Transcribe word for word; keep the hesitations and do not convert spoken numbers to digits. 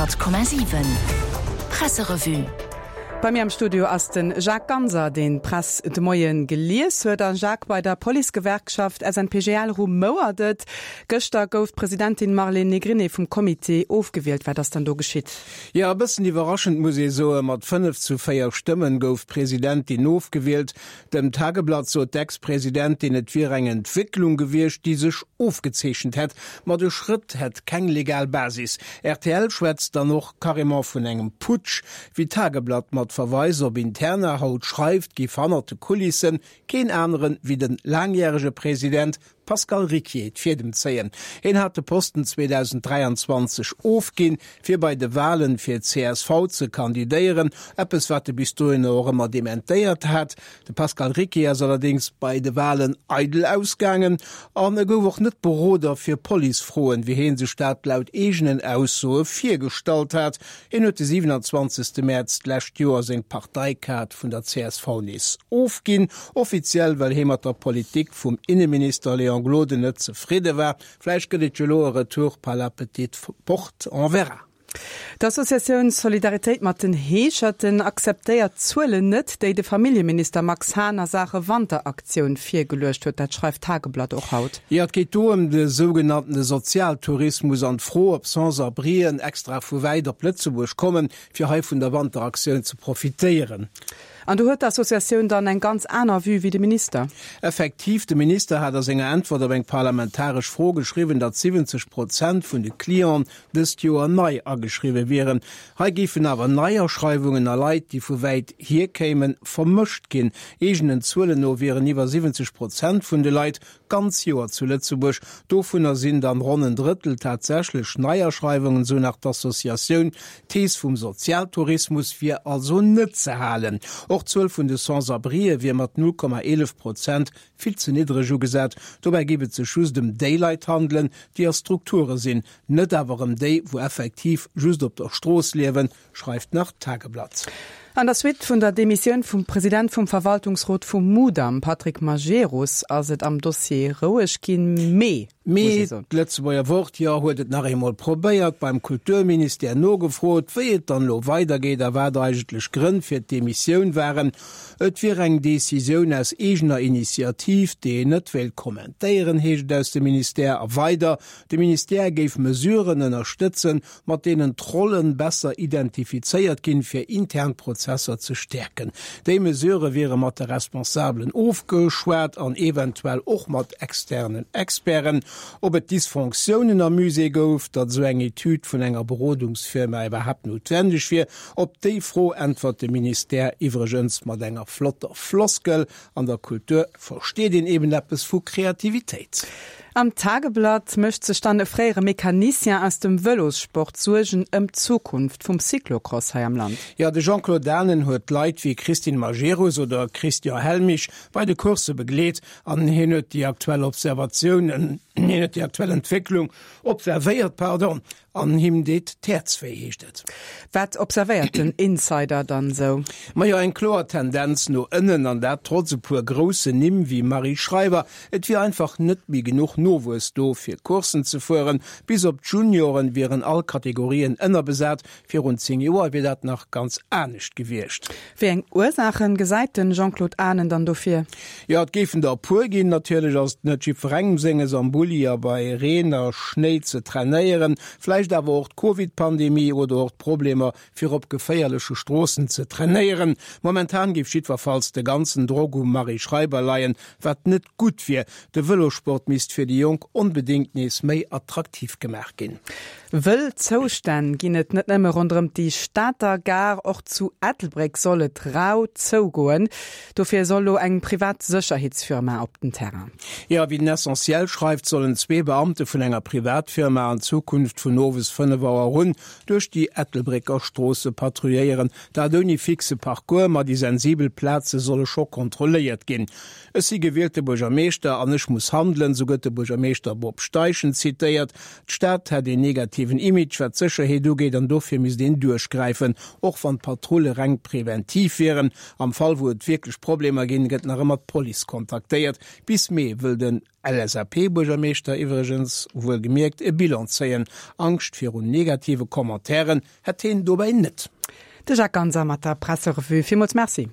Honnert Komma siwen Presserevue. Bei mir am Studio ass den Jacques Ganser, deen d'Press de Moien gelies huet. A Jacques, bei der Policegewerkschaft S N P G L rumouert et. Gëschter gouf d'Presidentin Marlène Negrini vum Comité ofgewielt. Wat ass dann do geschitt? Jo, e bëssen iwwerraschend muss ee soen, mat fënnef zu véier Stëmmen gouf d'Presidentin ofgewielt. Dem Tageblatt sot d'Ex-Presidentin, et wier eng Entwécklung gewiescht, déi sech ofgezeechent hätt, ma de Schrëtt hätt keng legal Basis. R T L schwätzt dann och carrément vun engem Putsch. Wéi d'Tageblatt mat Verweis op Interna haut schreift, géif hannert de Kulissen keen aneren wéi de laangjärege President Pascal Ricquier d'Fiedem zéien. Hien hat de Posten zweedausenddräianzwanzeg ofginn, fir bei de Walen fir d'C S V ze kandidéieren, eppes wat e bis dohinner och ëmmer dementéiert hat. De Pascal Ricquier ass allerdéngs bei de Walen eidel ausgaangen an e gouf och net Beroder fir Policefroen, wéi hie sech dat laut eegenen Aussoe virgestallt hat. Hien huet de siwenanzwanzegste Mäerz d'lescht Joer seng Parteikaart vun der C S V nees ofginn, offiziell well hie mat der Politik vum Inneminister Léon Gloden net zefridde war. Vläicht gëtt et jo elo e Retour par la petite porte, on verra. D'Associatioun Solidaritéit mat den Heescherten akzeptéiert d'Zuelen net, déi de Familljeminister Max Hahn a Saache Wanteraktioun virgeluecht huet. Dat schreift d'Tageblatt och haut. Jo, et geet do ëm de sougenanntene Sozialtourismus an d'Fro, ob Sans-abrien extra vu wäit op Lëtzebuerg kommen, fir hei vun der Wanteraktioun ze profitéieren. An do huet d'Associatioun dann eng ganz aner Vue wéi de Minister. Effektiv, de Minister hat a senger Äntwert op eng parlamentaresch Fro geschriwwen, datt siwwenzeg Prozent vun de Clienten dëst Joer nei ageschriwwe wieren. Hei géifen awer Neiaschreiwungen a Leit, déi vu wäit hier kéimen, vermëscht ginn. Eegenen Zuelen no wieren iwwer siwwenzeg Prozent vun de Leit d'ganz Joer zu Lëtzebuerg. Dovunner sinn dann ronn en Drëttel tatsächlech Neiaschreiwungen, sou nach d'Associatioun. D'Thees vum Sozialtourismus wier also net ze halen. Och d'Zuel vun de Sans-abrien wier mat null Komma eelef Prozent vill ze niddreg ugesat. Dobäi géif et sech just ëm déi Leit handelen, déi a Strukture sinn, net awer ëm déi, wou effektiv just op der Strooss liewen, schreift nach d'Tageblatt. An der Suite vun der Demissioun vum President vum Verwaltungsrot vum Mudam, Patrick Majerus, ass et am Dossier roueg ginn. Mee, muss Mee ee soen. d'Lëtzebuerger Wort, jo, huet et nach eemol probéiert, beim Kulturministère nogefrot, wéi et dann elo weidergeet a wat eigentlech d'Grënn fir d'Demissioun waren. Et wier eng Decisioun aus eegener Initiativ, déi een net wéilt kommentéieren, heescht et aus dem Ministère. A weider, de Ministère géif Mesuren ënnerstëtzen, mat deenen d'Rollen besser identifizéiert ginn, fir intern Prozesser ze stäerken. Déi Mesurë wiere mat de Responsabelen ofgeschwat an eventuell och mat externen Experten. Ob et Dysfonctiounen am Musée gouf, datt esou eng Etüd vun enger Berodungsfirma iwwerhaapt noutwendeg wier, op déi Fro äntwert de Ministère iwwregens mat enger flotter Floskel, An der Kultur versteet een eben eppes vu Kreativitéit. Am Tageblatt mécht sech dann e fréiere Mecanicien aus dem Vëlossport Suergen ëm d'Zukunft vum Cyclocross hei am Land. Jo, de Jean-Claude Danen huet Leit wéi Christine Majerus oder Christian Helmich bei de Coursse begleet an hien huet déi aktuell Observatiounen, hien huet déi aktuell Entwécklung observéiert, pardon, an him deet d'Häerz wéi, heescht et. Wat observéiert den Insider dann esou? Majo, eng kloer Tendenz no ënnen, an dat trotz e puer groussen Nimm wéi Marie Schreiber. Et wier einfach net méi genuch Nowuess do, fir Courssen ze fueren. Bis op d'Junioren wieren all Kategorien ënnerbesat. Virun zéng Joer wier dat nach ganz anescht gewiescht. Wéi eng Ursaachen gesäit den Jean-Claude Anen dann dofir? Jo, et géifen der e puer ginn. Natierlech ass et net jiddwerengem senges, am Bulli a bei Reen a Schnéi ze trainéieren. Vläicht awer och d'Covid-Pandemie oder och d'Problemer, fir op geféierleche Stroossen ze trainéieren. Momentan géif jiddwerfalls de ganzen Drock um Marie Schreiber leien, wat net gutt wier. De Vëlossport misst fir déi Jonk onbedéngt nees méi attraktiv gemaach ginn. Wëll Zoustänn ginn et net nëmme ronderëm déi Stater Gare, och zu Ettelbréck soll et rau zougoen. Dofir soll lo eng privat Sécherheetsfirma op den Terrain. Jo, wéi den Essentiel schreift, sollen zwee Beamte vun enger Privatfirma an Zukunft vun owes fënnef Auer un duerch déi Ettelbrécker Stroosse patrouilléieren. Dat ouni fixe Parcours, ma déi sensibel Plaze solle scho kontrolléiert ginn. Ech si gewielte Buergermeeschter an ech muss handelen, sou gëtt de Buergermeeschter Bob Steichen zitéiert. D'Stad hätt een negativen Image, wat d'Sécherheet ugeet, an dofir misst een duerchgräifen, och wann d'Patrulle reng preventiv wieren. Am Fall wou et wierklech Problemer ginn, gëtt nach ëmmer d'Police kontaktéiert. Bis Mee wëll den LSAP-Buergermeeschter iwwregens wuelgemierkt e Bilan zéien. Angscht virun negative Commentairen hätt hien dobäi net. De Jacques Ganser mat der Presserevue. Villmools Merci.